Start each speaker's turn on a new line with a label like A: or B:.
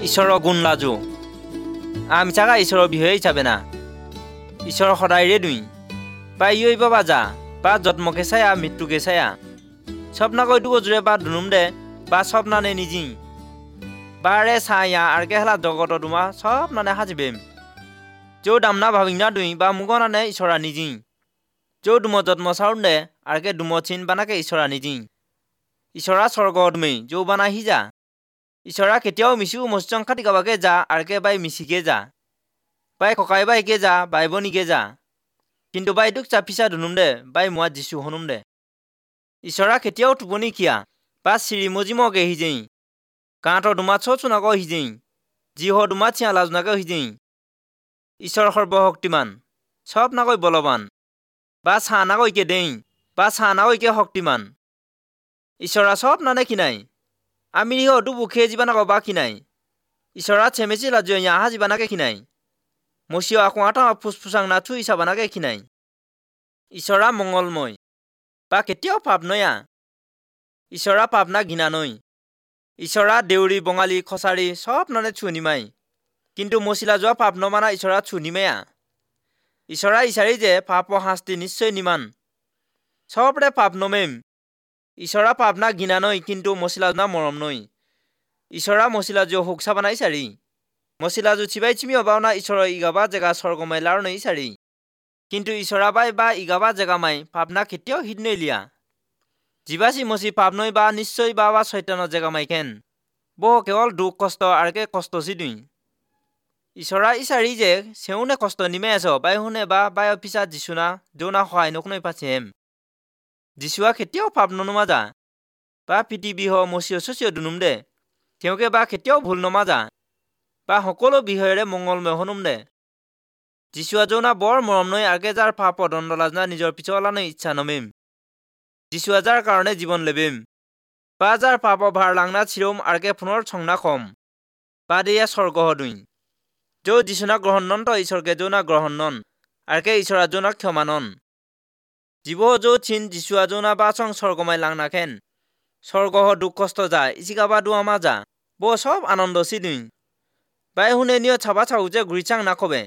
A: ঈশ্বৰৰ গুণ লাজু আমি চাগা ঈশ্বৰৰ বিষয়ে হিচাপে না ঈশ্বৰ সদায়ৰে দুই বা ইয় বাবা যা বা জন্মকে চায়া মৃত্যুকে চায়া স্বপ্নাকৈ দুগো জোৰে বা দুনুম দে বা স্বপ্নানে নিজি বাৰে চায়া আৰকে হেলা জগত দুমা সব নানে সাজিবেম যৌ দামনা ভাবিনা দুই বা মুগনানে ঈশ্বৰা নিজি যৌ দুম জন্ম চাউন দে আৰকে দুম চিন বানাকে ঈশ্বৰা নিজি ঈশ্বৰা স্বৰ্গ দুমেই যৌ বানা হিজা ঈশ্বৰা কেতিয়াও মিছু মচং খাটি গাবাকে যা আৰকে বাই মিছিকে যা বাই ককাই বাইকে যা বাই বনিকে যা কিন্তু বাই দুখ চাপিচা দুনুম দে বাই মোৱা যিছু হনুম দে ঈশ্বৰা কেতিয়াও টোপনি কিয়া বা চিৰি মজিমকে হিজেই গাঁতৰ দুমা চুনাক হিজেই যি হ দুমা থিয়া লাজনাকে হিজেই ঈশ্বৰ সৰ্বশক্তিমান চব নাকৈ বলৱান বা চাহ নাকৈকে দেই বা চাহ নাকৈকে শক্তিমান ঈশ্বৰা চব নানে কিনাই আমি অটো বুখে জীৱানাক বা কিনাই ঈশ্বৰা চেমেচি লাজু আহা জীৱানাকে কিনাই মচিয় আকোঁৱাটা ফুচফুচাং নাথু ইচাবানাকে কিনাই ঈশ্বৰা মংগলময় বা কেতিয়াও পাপ নয়া ঈশ্বৰা পাপ না ঘৃণা নৈ ঈশ্বৰা দেউৰী বঙালী খচাৰী চব নানে চুনিমাই কিন্তু মচিলা যোৱা পাপ নমানা ঈশ্বৰা চুনিমায়া ঈশ্বৰা ইচাৰি যে পাপ শাস্তি নিশ্চয় নিমান চবৰে পাপ নমেম ঈশ্বৰা পাপ না ঘৃণা নৈ কিন্তু মচিলা না মৰম নৈ ঈশ্বৰা মচিলা যোৱা সুখ চাবানাই চাৰি মচিলা যো চিবাই চিমি অবাওনা ঈশ্বৰ ইগাবা জেগা স্বৰ্গমাই লাৰ নৈ চাৰি কিন্তু ঈশ্বৰা বাই বা ইগাবা জেগামাই পাপনা কেতিয়াও হিত নৈলিয়া জীৱাচি মচি পাপ নৈ বা নিশ্চয় বা বা চৈতানৰ জেগামাই কেন বহ কেৱল দুখ কষ্ট আৰকে কষ্ট চি দুই ঈশ্বৰা ইচাৰি যে চেউনে কষ্ট নিমে আছ বাই শুনে বা বাই অফিচাত যিচুনা যৌনা সহায় নকনৈ পাচিহেম যিচুৱা কেতিয়াও পাপ ননুমাজা বা পৃথিৱী হ মচিয় চচিয় দুনুম দে তেওঁকে বা কেতিয়াও ভুল নমাজা বা সকলো বিষয়েৰে মংগলময় হনুম দে যিচুৱা যৌনা বৰ মৰম নৈ আগে যাৰ পাপ দণ্ডলাজনা নিজৰ পিছলানৈ ইচ্ছা নমেম যিচুৱা যাৰ কাৰণে জীৱন লেবেম বা যাৰ পাপ ভাৰ লাংনা চিৰম আৰ্কে পুনৰ চংনা কম বা দেয়া স্বৰ্গ দুই যৌ যিচুনা গ্ৰহণ নন্ত ঈশ্বৰকে যৌনা গ্ৰহণ নন আৰ্কে ঈশ্বৰা যৌনা ক্ষমা নন জীৱ যৌ চিন যিচুৱা যৌনা বা চং স্বৰ্গমাই লাংনা খেন স্বৰ্গ দুখ কষ্ট যা ইচিকা বা দুৱামা যা ব চব আনন্দ চি দুই বাই শুনে নিয় চাবা চাও যে ঘূৰি চাং নাকবে।